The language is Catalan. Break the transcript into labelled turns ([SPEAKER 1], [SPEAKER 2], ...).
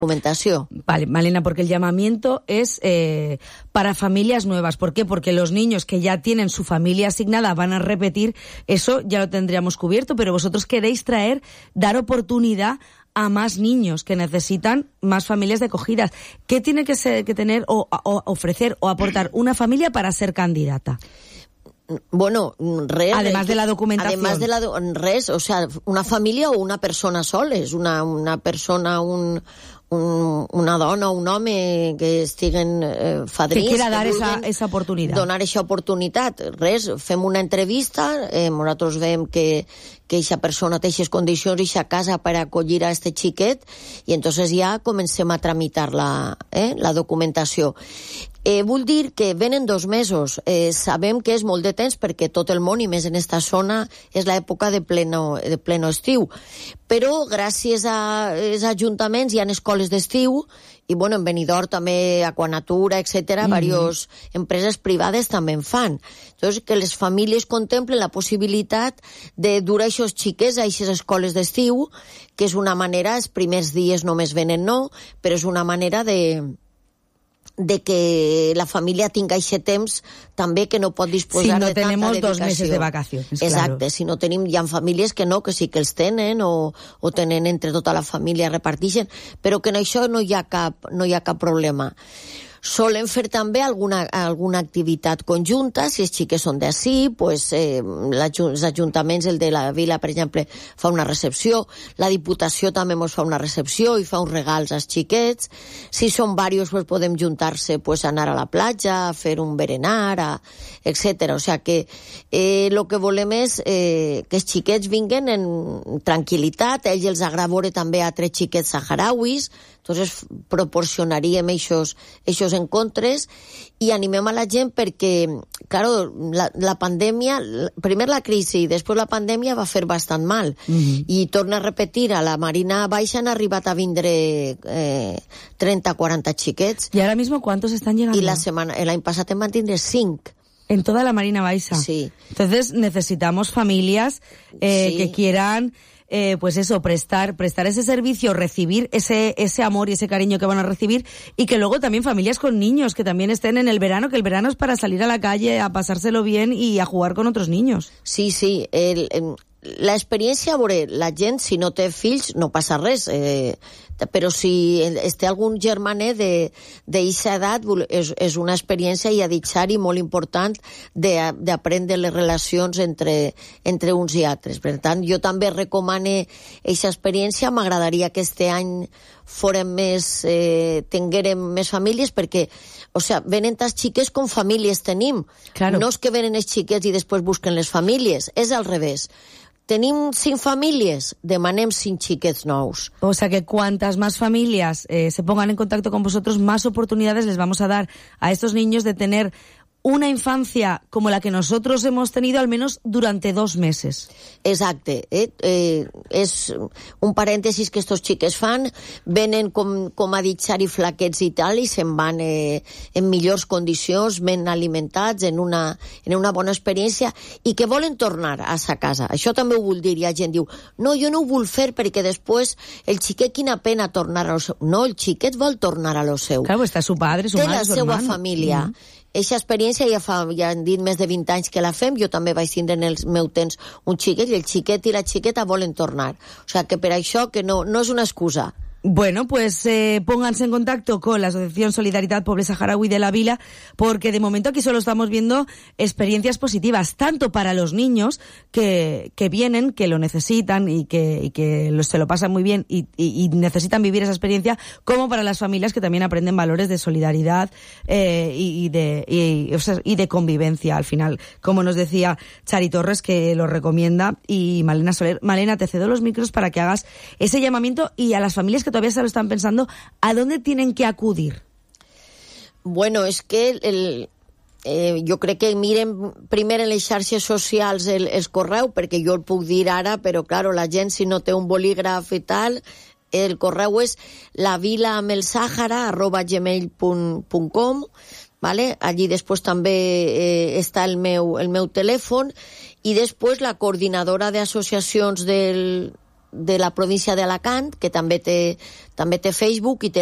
[SPEAKER 1] documentación.
[SPEAKER 2] Vale, Malena, porque el llamamiento es para familias nuevas. ¿Por qué? Porque los niños que ya tienen su familia asignada van a repetir, eso ya lo tendríamos cubierto, pero vosotros queréis dar oportunidad a más niños que necesitan más familias de acogidas. ¿Qué tiene que tener o ofrecer o aportar una familia para ser candidata?
[SPEAKER 1] Bueno, res...
[SPEAKER 2] Además de la documentación.
[SPEAKER 1] Además de res, o sea, una família o una persona soles, una persona, una dona o un home que estiguen fadrins...
[SPEAKER 2] Que quiera dar esa oportunitat.
[SPEAKER 1] Donar aquesta oportunitat. Res, fem una entrevista, nosaltres veiem que aquesta persona té aquestes condicions i aquesta casa per acollir a este xiquet i entonces ja comencem a tramitar la documentació. Vull dir que venen 2 mesos. Sabem que és molt de temps perquè tot el món, i més en esta zona, és l'època de pleno estiu. Però gràcies als ajuntaments hi ha escoles d'estiu i, bueno, en Benidorm també, Aquanatura, etc., diverses empreses privades també en fan. Entonces, que les famílies contemplen la possibilitat de dur aquests xiquets a aquestes escoles d'estiu, que és una manera, els primers dies només venen però és una manera de que la família tinga aquest temps també que no pot disposar de tanta dedicació. Si no
[SPEAKER 2] tenemos 2 meses de vacaciones.
[SPEAKER 1] Exacte,
[SPEAKER 2] claro.
[SPEAKER 1] Si no tenim, hi ha famílies que no, que sí que els tenen o tenen entre tota la família, reparteixen, però que en això no hi ha cap problema. Solen fer també alguna activitat conjunta, si els xiques són d'ací, pues, els ajuntaments, el de la vila, per exemple, fa una recepció, la Diputació també ens fa una recepció i fa uns regals als xiquets, si són diversos pues, podem juntar-se, pues, anar a la platja, a fer un berenar, etc. O sea que el que volem és que els xiquets vinguen en tranquil·litat, a ells els agrada veure també altres xiquets saharauis, entonces proporcionaríem aquests encontres i animem a la gent perquè, claro, la pandèmia, primer la crisi i després la pandèmia va fer bastant mal. I torna a repetir, a la Marina Baixa han arribat a vindre 30-40 xiquets.
[SPEAKER 2] ¿Y ahora mismo cuántos están llegando?
[SPEAKER 1] Y l'any passat en van tindre 5.
[SPEAKER 2] En toda la Marina Baixa.
[SPEAKER 1] Sí.
[SPEAKER 2] Entonces necesitamos familias que quieran... pues eso, prestar ese servicio, recibir ese amor y ese cariño que van a recibir, y que luego también familias con niños que también estén en el verano, que el verano es para salir a la calle, a pasárselo bien y a jugar con otros niños.
[SPEAKER 1] Sí, sí, l'experiència, a veure, la gent, si no té fills, no passa res, però si té algun germanet d'eixa edat, és una experiència i aditjari molt important d'aprendre les relacions entre uns i altres. Per tant, jo també recomane eixa experiència. M'agradaria que este any tinguérem més famílies, perquè, o sea, venen tas xiques com famílies tenim.
[SPEAKER 2] Claro.
[SPEAKER 1] No és que venen els xiquets i després busquen les famílies, és al revés. Tenim 5 famílies, demanem 5 xiquets nous.
[SPEAKER 2] O sea que cuantas más familias se pongan en contacto con vosotros, más oportunidades les vamos a dar a estos niños de tener una infancia como la que nosotros hemos tenido al menos durante 2 meses.
[SPEAKER 1] Exacte. És un parèntesis que estos xiques fan, venen com a ditxar i flaquets i tal, i se'n van en millors condicions, ben alimentats, en una bona experiència, i que volen tornar a sa casa. Això també ho vull dir. Hi ha gent que diu, no, jo no ho vull fer perquè després el xiquet, quina pena tornar a lo seu. No, el xiquet vol tornar a lo seu.
[SPEAKER 2] Claro, está su padre, su madre, su hermano.
[SPEAKER 1] Té la seva família. Eixa experiència ja han dit més de 20 anys que la fem. Jo també vaig tindre en el meu temps un xiquet, i el xiquet i la xiqueta volen tornar. O sea que per això que no és una excusa.
[SPEAKER 2] Bueno, pues pónganse en contacto con la Asociación Solidaridad Poble Saharaui de la Vila, porque de momento aquí solo estamos viendo experiencias positivas, tanto para los niños que vienen, que lo necesitan y que se lo pasan muy bien y necesitan vivir esa experiencia, como para las familias que también aprenden valores de solidaridad y de convivencia al final, como nos decía Chari Torres, que lo recomienda, y Malena Soler. Malena, te cedo los micros para que hagas ese llamamiento, y a las familias que todavía se lo están pensando, ¿a dónde tienen que acudir?
[SPEAKER 1] Bueno, és que jo crec que miren primer en les xarxes socials els correu, perquè jo el puc dir ara, però claro, la gent, si no té un bolígraf i tal, el correu és lavilaamelsahara@gmail.com, ¿vale? Allí després també està el meu telèfon, i després la coordinadora d'associacions del de la província d'Alacant, que també té Facebook i té